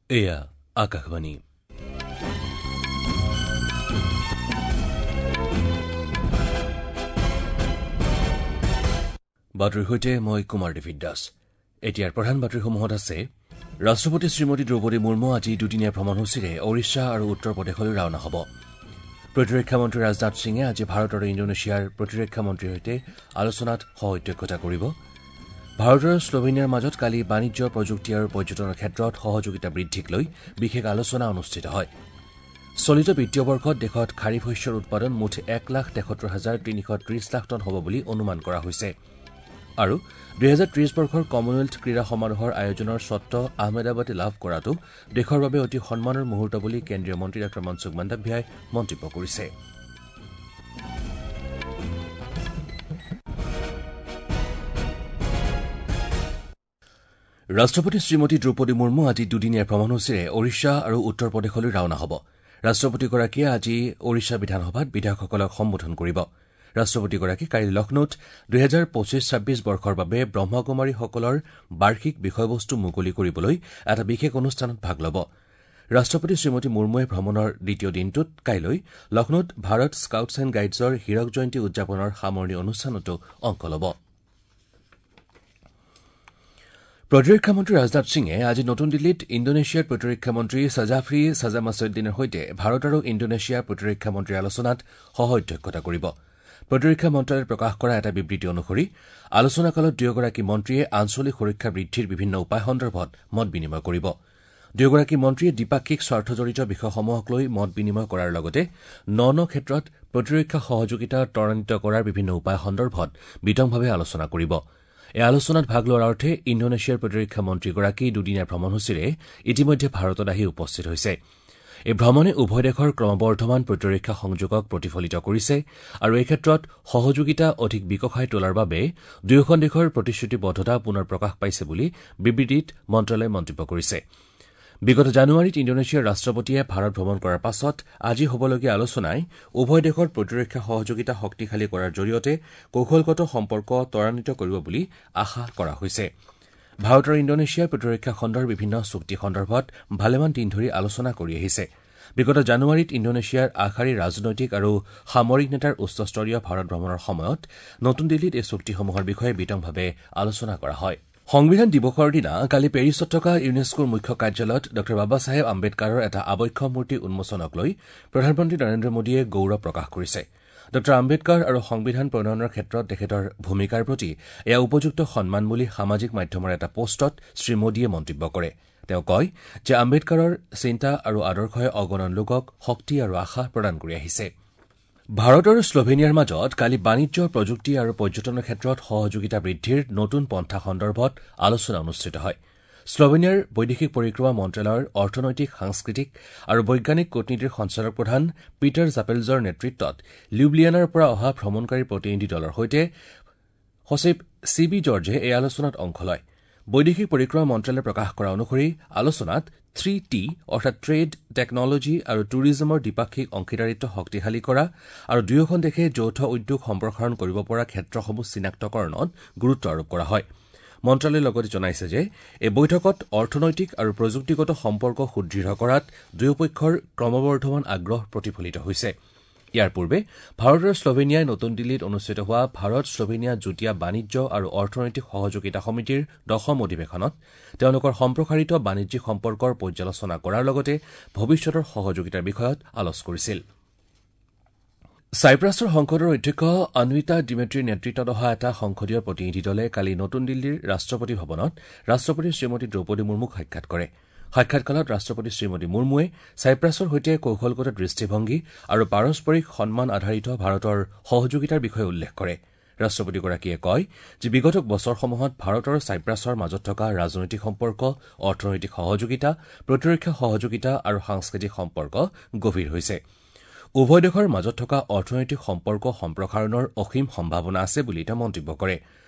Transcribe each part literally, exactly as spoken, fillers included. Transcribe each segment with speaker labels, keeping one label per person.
Speaker 1: এয়া আকাশবাণী। বাতৰিৰ সৈতে মই কুমাৰ ডেভিড দাস। এতিয়াৰ প্ৰধান বাতৰিসমূহত আছে ৰাষ্ট্ৰপতি শ্ৰীমতী দ্ৰৌপদী মুৰ্মু আজি দুদিনীয়া ভ্ৰমণসূচীৰে ওড়িশা আৰু উত্তৰ প্ৰদেশলৈ ৰাওনা হ'ব। প্ৰতিৰক্ষা মন্ত্ৰী ৰাজনাথ সিঙে আজি ভাৰত আৰু ইণ্ডোনেছিয়াৰ প্ৰতিৰক্ষা মন্ত্ৰীৰ সৈতে আলোচনাত সহ অধ্যক্ষতা কৰিব। ভাৰত আৰু শ্লোভেনিয়াৰ মাজত কালি বাণিজ্য, প্ৰযুক্তি আৰু পৰ্যটনৰ ক্ষেত্ৰত সহযোগিতা বৃদ্ধিক লৈ বিশেষ আলোচনা অনুষ্ঠিত হয়। চলিত বিত্তীয় বৰ্ষত দেশত খাৰিফ শস্যৰ উৎপাদন মুঠ এক লাখ তেসত্তৰ হাজাৰ তিনিশ ত্ৰিশ লাখ টন হ'ব বুলি অনুমান কৰা হৈছে। আৰু দুহেজাৰ ত্ৰিশ বৰ্ষৰ কমনৱেলথ ক্ৰীড়া সমাৰোহৰ আয়োজনৰ স্বত্ব আহমেদাবাদে লাভ কৰাটো দেশৰ বাবে অতি সন্মানৰ মুহূৰ্ত বুলি কেন্দ্ৰীয় মন্ত্ৰী ডাঃ মনসুখ মাণ্ডাভিয়াই মন্তব্য কৰিছে। ৰাষ্ট্ৰপতি শ্ৰীমতী দ্ৰৌপদী মুৰ্মু আজি দুদিনীয়া ভ্ৰমণসূচীৰে ওড়িশা আৰু উত্তৰ প্ৰদেশলৈ ৰাওনা হ'ব। ৰাষ্ট্ৰপতিগৰাকীয়ে আজি ওড়িশা বিধানসভাত বিধায়কসকলক সম্বোধন কৰিব। ৰাষ্ট্ৰপতিগৰাকী কাইলৈ লক্ষ্ণৌত দুহেজাৰ পঁচিছ ছাব্বিছ বৰ্ষৰ বাবে ব্ৰহ্মকুমাৰীসকলৰ বাৰ্ষিক বিষয়বস্তু মুকলি কৰিবলৈ এটা বিশেষ অনুষ্ঠানত ভাগ ল'ব। ৰাষ্ট্ৰপতি শ্ৰীমতী মুৰ্মুৱে ভ্ৰমণৰ দ্বিতীয় দিনটোত কাইলৈ লক্ষ্ণৌত ভাৰত স্কাউটছ এণ্ড গাইডছৰ হীৰক জয়ন্তী উদযাপনৰ সামৰণি অনুষ্ঠানতো অংশ ল'ব। প্ৰতিৰক্ষা মন্ত্ৰী ৰাজনাথ সিঙে আজি নতুন দিল্লীত ইণ্ডোনেছিয়াৰ প্ৰতিৰক্ষা মন্ত্ৰী ছাজাফ্ৰী ছাজামাছুদ্দিনৰ সৈতে ভাৰত আৰু ইণ্ডোনেছিয়াৰ প্ৰতিৰক্ষা মন্ত্ৰীৰ আলোচনাত সহ অধ্যক্ষতা কৰিব। প্ৰতিৰক্ষা মন্ত্ৰালয়ে প্ৰকাশ কৰা এটা বিবৃতি অনুসৰি আলোচনাকালত দুয়োগৰাকী মন্ত্ৰীয়ে আঞ্চলিক সুৰক্ষা বৃদ্ধিৰ বিভিন্ন উপায় সন্দৰ্ভত মত বিনিময় কৰিব। দুয়োগৰাকী মন্ত্ৰীয়ে দ্বিপাক্ষিক স্বাৰ্থজড়িত বিষয়সমূহক লৈ মত বিনিময় কৰাৰ লগতে ন ন ক্ষেত্ৰত প্ৰতিৰক্ষা সহযোগিতা ত্বৰান্বিত কৰাৰ বিভিন্ন উপায় সন্দৰ্ভত বিতংভাৱে আলোচনা কৰিব। এই আলোচনাত ভাগ লোৱাৰ অৰ্থে ইণ্ডোনেছিয়াৰ প্ৰতিৰক্ষা মন্ত্ৰীগৰাকী দুদিনীয়া ভ্ৰমণসূচীৰে ইতিমধ্যে ভাৰতত আহি উপস্থিত হৈছে। এই ভ্ৰমণে উভয় দেশৰ ক্ৰমবৰ্ধমান প্ৰতিৰক্ষা সংযোগক প্ৰতিফলিত কৰিছে আৰু এই ক্ষেত্ৰত সহযোগিতা অধিক বিকশাই তোলাৰ বাবে দুয়োখন দেশৰ প্ৰতিশ্ৰুতিবদ্ধতা পুনৰ প্ৰকাশ পাইছে বুলি বিবৃতিত মন্ত্ৰালয়ে মন্তব্য কৰিছে। বিগত জানুৱাৰীত ইণ্ডোনেছিয়াৰ ৰাষ্ট্ৰপতিয়ে ভাৰত ভ্ৰমণ কৰাৰ পাছত আজি হ'বলগীয়া আলোচনাই উভয় দেশৰ প্ৰতিৰক্ষা সহযোগিতা শক্তিশালী কৰাৰ জৰিয়তে কৌশলগত সম্পৰ্ক ত্বৰান্বিত কৰিব বুলি আশা কৰা হৈছে। ভাৰত আৰু ইণ্ডোনেছিয়াই প্ৰতিৰক্ষা খণ্ডৰ বিভিন্ন চুক্তি সন্দৰ্ভত ভালেমান দিন ধৰি আলোচনা কৰি আহিছে। বিগত জানুৱাৰীত ইণ্ডোনেছিয়াৰ আগশাৰীৰ ৰাজনৈতিক আৰু সামৰিক নেতাৰ উচ্চস্তৰীয় ভাৰত ভ্ৰমণৰ সময়ত নতুন দিল্লীত এই চুক্তিসমূহৰ বিষয়ে বিতংভাৱে আলোচনা কৰা হয়। সংবিধান দিৱসৰ দিনা কালি পেৰিছত থকা ইউনেস্কোৰ মুখ্য কাৰ্যালয়ত ডাঃ বাবাচাহেব আম্বেদকাৰৰ এটা আৱক্ষ মূৰ্তি উন্মোচনক লৈ প্ৰধানমন্ত্ৰী নৰেন্দ্ৰ মোদীয়ে গৌৰৱ প্ৰকাশ কৰিছে। ডাঃ আম্বেদকাৰ আৰু সংবিধান প্ৰণয়নৰ ক্ষেত্ৰত তেখেতৰ ভূমিকাৰ প্ৰতি এয়া উপযুক্ত সন্মান বুলি সামাজিক মাধ্যমৰ এটা পোষ্টত শ্ৰীমোদীয়ে মন্তব্য কৰে। তেওঁ কয় যে আম্বেদকাৰৰ চিন্তা আৰু আদৰ্শই অগণন লোকক শক্তি আৰু আশা প্ৰদান কৰি আহিছে। ভাৰত আৰু শ্লোভেনিয়াৰ মাজত কালি বাণিজ্য, প্ৰযুক্তি আৰু পৰ্যটনৰ ক্ষেত্ৰত সহযোগিতা বৃদ্ধিৰ নতুন পন্থা সন্দৰ্ভত আলোচনা অনুষ্ঠিত হয়। শ্লোভেনিয়াৰ বৈদেশিক পৰিক্ৰমা মন্ত্ৰালয়ৰ অৰ্থনৈতিক, সাংস্কৃতিক আৰু বৈজ্ঞানিক কূটনীতিৰ সঞ্চালক প্ৰধান পিটাৰ জাপেলজৰ নেতৃত্বত লিউব্লিয়ানাৰ পৰা অহা ভ্ৰমণকাৰী প্ৰতিনিধি দলৰ সৈতে সচিব চি বি জৰ্জে এই আলোচনাত অংশ লয়। বৈদেশিক পৰিক্ৰমা মন্ত্ৰালয়ে প্ৰকাশ কৰা অনুসৰি আলোচনাত থ্ৰী টি অৰ্থাৎ ট্ৰেড, টেকনলজী আৰু টুৰিজমৰ দ্বিপাক্ষিক অংশীদাৰিত্ব শক্তিশালী কৰা আৰু দুয়োখন দেশে যৌথ উদ্যোগ সম্প্ৰসাৰণ কৰিব পৰা ক্ষেত্ৰসমূহ চিনাক্তকৰণত গুৰুত্ব আৰোপ কৰা হয়। মন্ত্ৰালয়ে লগতে জনাইছে যে এই বৈঠকত অৰ্থনৈতিক আৰু প্ৰযুক্তিগত সম্পৰ্ক সুদৃঢ় কৰাত দুয়োপক্ষৰ ক্ৰমবৰ্ধমান আগ্ৰহ প্ৰতিফলিত হৈছে। ইয়াৰ পূৰ্বে ভাৰত আৰু শ্লোভেনিয়াই নতুন দিল্লীত অনুষ্ঠিত হোৱা ভাৰত শ্লোভেনিয়া যুটীয়া বাণিজ্য আৰু অৰ্থনৈতিক সহযোগিতা সমিতিৰ দশম অধিৱেশনত তেওঁলোকৰ সম্প্ৰসাৰিত বাণিজ্যিক সম্পৰ্কৰ পৰ্যালোচনা কৰাৰ লগতে ভৱিষ্যতৰ সহযোগিতাৰ বিষয়ত আলোচ কৰিছিল। চাইপ্ৰাছৰ সংসদৰ অধ্যক্ষ অন্বিতা ডিমেট্ৰিৰ নেতৃত্বত অহা এটা সংসদীয় প্ৰতিনিধি দলে কালি নতুন দিল্লীৰ ৰাষ্ট্ৰপতি ভৱনত ৰাষ্ট্ৰপতি শ্ৰীমতী দ্ৰৌপদী মুৰ্মুক সাক্ষাৎ কৰে। সাক্ষাৎকালত ৰাষ্ট্ৰপতি শ্ৰীমতী মুৰ্মুৱে চাইপ্ৰাছৰ সৈতে কৌশলগত দৃষ্টিভংগী আৰু পাৰস্পৰিক সন্মান আধাৰিত ভাৰতৰ সহযোগিতাৰ বিষয়ে উল্লেখ কৰে। ৰাষ্ট্ৰপতিগৰাকীয়ে কয় যে বিগত বছৰসমূহত ভাৰত আৰু চাইপ্ৰাছৰ মাজত থকা ৰাজনৈতিক সম্পৰ্ক, অৰ্থনৈতিক সহযোগিতা, প্ৰতিৰক্ষা সহযোগিতা আৰু সাংস্কৃতিক সম্পৰ্ক গভীৰ হৈছে। উভয় দেশৰ মাজত থকা অৰ্থনৈতিক সম্পৰ্ক সম্প্ৰসাৰণৰ অসীম সম্ভাৱনা আছে বুলি তেওঁ মন্তব্য কৰে।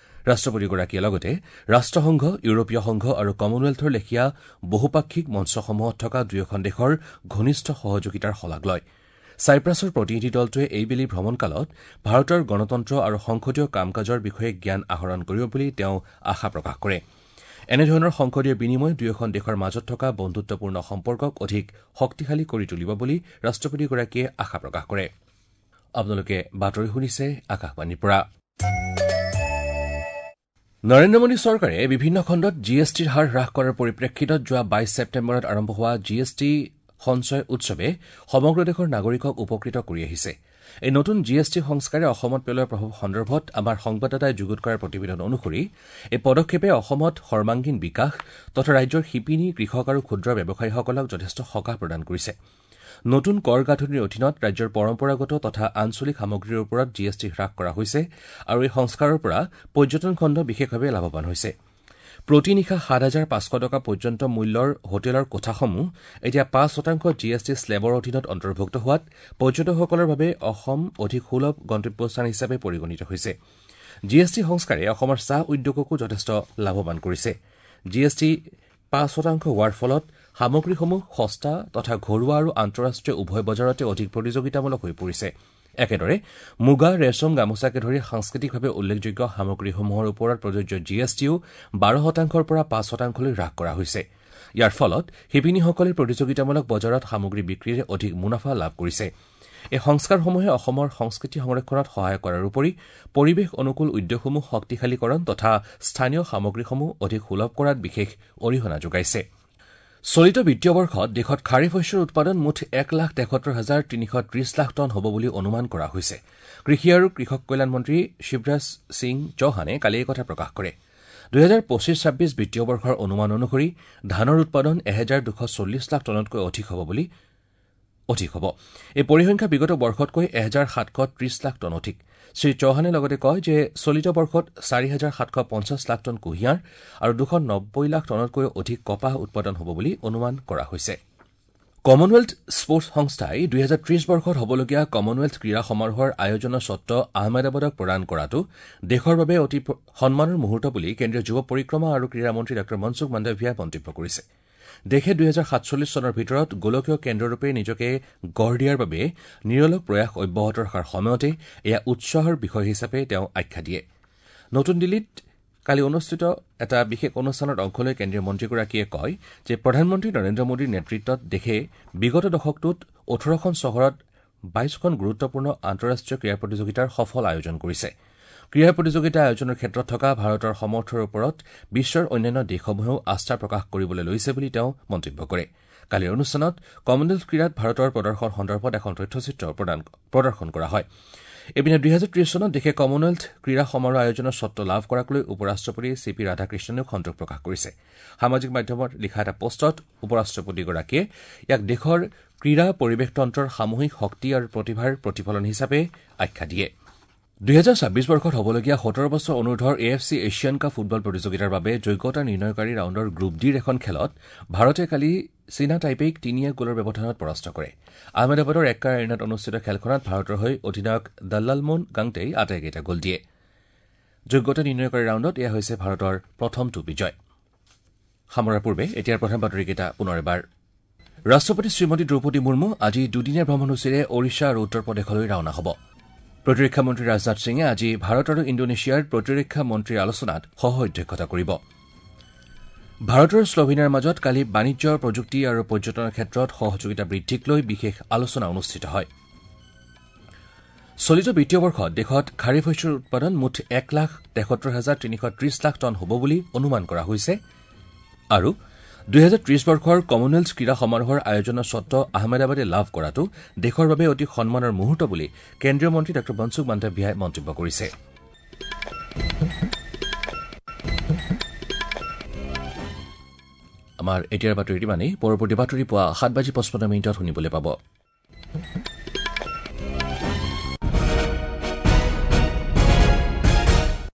Speaker 1: ৰাষ্ট্ৰপতিগৰাকীয়ে লগতে ৰাষ্ট্ৰসংঘ, ইউৰোপীয় সংঘ আৰু কমনৱেলথৰ লেখীয়া বহুপাক্ষিক মঞ্চসমূহত থকা দুয়োখন দেশৰ ঘনিষ্ঠ সহযোগিতাৰ শলাগ লয়। চাইপ্ৰাছৰ প্ৰতিনিধি দলটোৱে এইবেলি ভ্ৰমণকালত ভাৰতৰ গণতন্ত্ৰ আৰু সংসদীয় কাম কাজৰ বিষয়ে জ্ঞান আহৰণ কৰিব বুলি তেওঁ আশা প্ৰকাশ কৰে। এনেধৰণৰ সংসদীয় বিনিময় দুয়োখন দেশৰ মাজত থকা বন্ধুত্বপূৰ্ণ সম্পৰ্কক অধিক শক্তিশালী কৰি তুলিব বুলি ৰাষ্ট্ৰপতিগৰাকীয়ে আশা প্ৰকাশ কৰে। আপোনালোকে বাতৰি শুনিছে আকাশবাণীৰ পৰা। নৰেন্দ্ৰ মোদী চৰকাৰে বিভিন্ন খণ্ডত জি এছ টিৰ হাৰ হ্ৰাস কৰাৰ পৰিপ্ৰেক্ষিতত যোৱা বাইছ ছেপ্টেম্বৰত আৰম্ভ হোৱা জি এছ টি সঞ্চয় উৎসৱে সমগ্ৰ দেশৰ নাগৰিকক উপকৃত কৰি আহিছে। এই নতুন জি এছ টি সংস্কাৰে অসমত পেলোৱা প্ৰভাৱ সন্দৰ্ভত আমাৰ সংবাদদাতাই যুগুত কৰাৰ প্ৰতিবেদন অনুসৰি এই পদক্ষেপে অসমত সৰ্বাংগীন বিকাশ তথা ৰাজ্যৰ শিপিনী, কৃষক আৰু ক্ষুদ্ৰ ব্যৱসায়ীসকলক যথেষ্ট সকাহ প্ৰদান কৰিছে। নতুন কৰ গাঁথনিৰ অধীনত ৰাজ্যৰ পৰম্পৰাগত তথা আঞ্চলিক সামগ্ৰীৰ ওপৰত জি এছ টি হ্ৰাস কৰা হৈছে আৰু এই সংস্কাৰৰ পৰা পৰ্যটন খণ্ড বিশেষভাৱে লাভৱান হৈছে। প্ৰতি নিশা সাত হাজাৰ পাঁচশ টকা পৰ্যন্ত মূল্যৰ হোটেলৰ কোঠাসমূহ এতিয়া পাঁচ শতাংশ জি এছ টি শ্লেবৰ অধীনত অন্তৰ্ভুক্ত হোৱাত পৰ্যটকসকলৰ বাবে অসম অধিক সুলভ গন্তব্যস্থান হিচাপে পৰিগণিত হৈছে। জি এছ টি সংস্কাৰে অসমৰ চাহ উদ্যোগকো যথেষ্ট লাভৱান কৰিছে। জি এছ টি পাঁচ শতাংশ হোৱাৰ ফলত সামগ্ৰীসমূহ সস্তা তথা ঘৰুৱা আৰু আন্তঃৰাষ্ট্ৰীয় উভয় বজাৰতে অধিক প্ৰতিযোগিতামূলক হৈ পৰিছে। একেদৰে মুগা, ৰেচম, গামোচাকে ধৰি সাংস্কৃতিকভাৱে উল্লেখযোগ্য সামগ্ৰীসমূহৰ ওপৰত প্ৰযোজ্য জি এছ টিও বাৰ শতাংশৰ পৰা পাঁচ শতাংশলৈ হ্ৰাস কৰা হৈছে। ইয়াৰ ফলত শিপিনীসকলে প্ৰতিযোগিতামূলক বজাৰত সামগ্ৰী বিক্ৰীৰে অধিক মুনাফা লাভ কৰিছে। এই সংস্কাৰসমূহে অসমৰ সংস্কৃতি সংৰক্ষণত সহায় কৰাৰ উপৰি পৰিৱেশ অনুকূল উদ্যোগসমূহ শক্তিশালীকৰণ তথা স্থানীয় সামগ্ৰীসমূহ অধিক সুলভ কৰাত বিশেষ অৰিহণা যোগাইছে। চলিত বিত্তীয় বৰ্ষত দেশত খাৰিফ শস্যৰ উৎপাদন মুঠ এক লাখ তেসত্তৰ হাজাৰ তিনিশ ত্ৰিশ লাখ টন হ'ব বুলি অনুমান কৰা হৈছে। কৃষি আৰু কৃষক কল্যাণ মন্ত্ৰী শিৱৰাজ সিং চৌহানে কালি এই কথা প্ৰকাশ কৰে। দুহেজাৰ পঁচিছ ছাব্বিছ বিত্তীয় বৰ্ষৰ অনুমান অনুসৰি ধানৰ উৎপাদন এহেজাৰ দুশ চল্লিছ লাখ টনতকৈ অধিক হ'ব বুলি অধিক হ'ব। এই পৰিসংখ্যা বিগত বৰ্ষতকৈ এহেজাৰ সাতশ ত্ৰিশ লাখ টন অধিক। শ্ৰী চৌহানে লগতে কয় যে চলিত বৰ্ষত চাৰি হাজাৰ সাতশ পঞ্চাছ লাখ টন কুঁহিয়াৰ আৰু দুশ নব্বৈ লাখ টনতকৈ অধিক কপাহ উৎপাদন হ'ব বুলি অনুমান কৰা হৈছে। কমনৱেলথ স্পৰ্টছ সংস্থাই দুহেজাৰ ত্ৰিশ বৰ্ষত হ'বলগীয়া কমনৱেলথ ক্ৰীড়া সমাৰোহৰ আয়োজনৰ স্বত্ব আহমেদাবাদক প্ৰদান কৰাটো দেশৰ বাবে অতি সন্মানৰ মুহূৰ্ত বুলি কেন্দ্ৰীয় যুৱ পৰিক্ৰমা আৰু ক্ৰীড়া মন্ত্ৰী ডাঃ মনসুখ মাণ্ডভিয়াই মন্তব্য কৰিছে। দেশে দুহেজাৰ সাতচল্লিছ চনৰ ভিতৰত গোলকীয় কেন্দ্ৰৰূপে নিজকে গঢ় দিয়াৰ বাবে নিৰলস প্ৰয়াস অব্যাহত ৰখাৰ সময়তে এয়া উৎসাহৰ বিষয় হিচাপে তেওঁ আখ্যা দিয়ে। নতুন দিল্লীত কালি অনুষ্ঠিত এটা বিশেষ অনুষ্ঠানত অংশ লৈ কেন্দ্ৰীয় মন্ত্ৰীগৰাকীয়ে কয় যে প্ৰধানমন্ত্ৰী নৰেন্দ্ৰ মোদীৰ নেতৃত্বত দেশে বিগত দশকটোত ওঠৰখন চহৰত বাইশখন গুৰুত্বপূৰ্ণ আন্তঃৰাষ্ট্ৰীয় ক্ৰীড়া প্ৰতিযোগিতাৰ সফল আয়োজন কৰিছে। ক্ৰীড়া প্ৰতিযোগিতা আয়োজনৰ ক্ষেত্ৰত থকা ভাৰতৰ সমৰ্থৰ ওপৰত বিশ্বৰ অন্যান্য দেশসমূহেও আস্থা প্ৰকাশ কৰিবলৈ লৈছে বুলি তেওঁ মন্তব্য কৰে। কালিৰ অনুষ্ঠানত কমনৱেলথ ক্ৰীড়াত ভাৰতৰ প্ৰদৰ্শন সন্দৰ্ভত এখন তথ্যচিত্ৰ প্ৰদৰ্শন কৰা হয়। ইপিনে দুহেজাৰ ত্ৰিশ চনত দেশে কমনৱেলথ ক্ৰীড়া সমাৰোহ আয়োজনৰ স্বত্ব লাভ কৰাক লৈ উপ-ৰাষ্ট্ৰপতি চি পি ৰাধাকৃষ্ণনেও সন্তোষ প্ৰকাশ কৰিছে। সামাজিক মাধ্যমত লিখা এটা পোষ্টত উপ-ৰাষ্ট্ৰপতিগৰাকীয়ে ইয়াক দেশৰ ক্ৰীড়া পৰিৱেশতন্ত্ৰৰ সামূহিক শক্তি আৰু প্ৰতিভাৰ প্ৰতিফলন হিচাপে আখ্যা দিয়ে। দুহেজাৰ ছাব্বিছ বৰ্ষত হ'বলগীয়া সোতৰ বছৰ অনুৰ্ধৰ A F C Asian cup football প্ৰতিযোগিতাৰ বাবে যোগ্যতা নিৰ্ণয়কাৰী ৰাউণ্ডৰ গ্ৰুপ ডিৰ এখন খেলত ভাৰতে কালি চীনা টাইপেইক তিনি এক গ'লৰ ব্যৱধানত পৰাস্ত কৰে। আহমেদাবাদৰ এক্কা এৰিনাত অনুষ্ঠিত খেলখনত ভাৰতৰ হৈ অধিনায়ক দল্লালমোন গাংটেই আটাইকেইটা গ'ল দিয়ে। যোগ্যতা নিৰ্ণয়কাৰী ৰাউণ্ডত এয়া হৈছে ভাৰতৰ প্ৰথমটো বিজয়। সামৰাৰ পূৰ্বে এতিয়াৰ প্ৰধান বাতৰিকেইটা পুনৰ এবাৰ। ৰাষ্ট্ৰপতি শ্ৰীমতী দ্ৰৌপদী মুৰ্মু আজি দুদিনীয়া ভ্ৰমণসূচীৰে ওড়িশা আৰু উত্তৰ প্ৰদেশলৈ ৰাওনা হ'ব। প্ৰতিৰক্ষা মন্ত্ৰী ৰাজনাথ সিঙে আজি ভাৰত আৰু ইণ্ডোনেছিয়াৰ প্ৰতিৰক্ষা মন্ত্ৰীৰ আলোচনাত সহ অধ্যক্ষতা কৰিব। ভাৰত আৰু শ্লোভেনিয়াৰ মাজত কালি বাণিজ্য, প্ৰযুক্তি আৰু পৰ্যটনৰ ক্ষেত্ৰত সহযোগিতা বৃদ্ধিক লৈ বিশেষ আলোচনা অনুষ্ঠিত হয়। চলিত বিত্তীয় বৰ্ষত দেশত খাৰিফ শস্যৰ উৎপাদন মুঠ এক লাখ তেসত্তৰ হাজাৰ তিনিশ ত্ৰিশ লাখ টন হ'ব বুলি অনুমান কৰা হৈছে আৰু দুহেজাৰ ত্ৰিশ বৰ্ষৰ কমনৱেলথ ক্ৰীড়া সমাৰোহৰ আয়োজনৰ স্বত্ব আহমেদাবাদে লাভ কৰাটো দেশৰ বাবে অতি সন্মানৰ মুহূৰ্ত বুলি কেন্দ্ৰীয় মন্ত্ৰী ডাঃ মনসুখ মাণ্ডভিয়াই মন্তব্য কৰিছে। আমাৰ এতিয়াৰ বাতৰি ইমানেই। পৰৱৰ্তী বাতৰি পুৱা সাত বাজি পঁচপন্ন মিনিটত শুনিবলৈ পাব।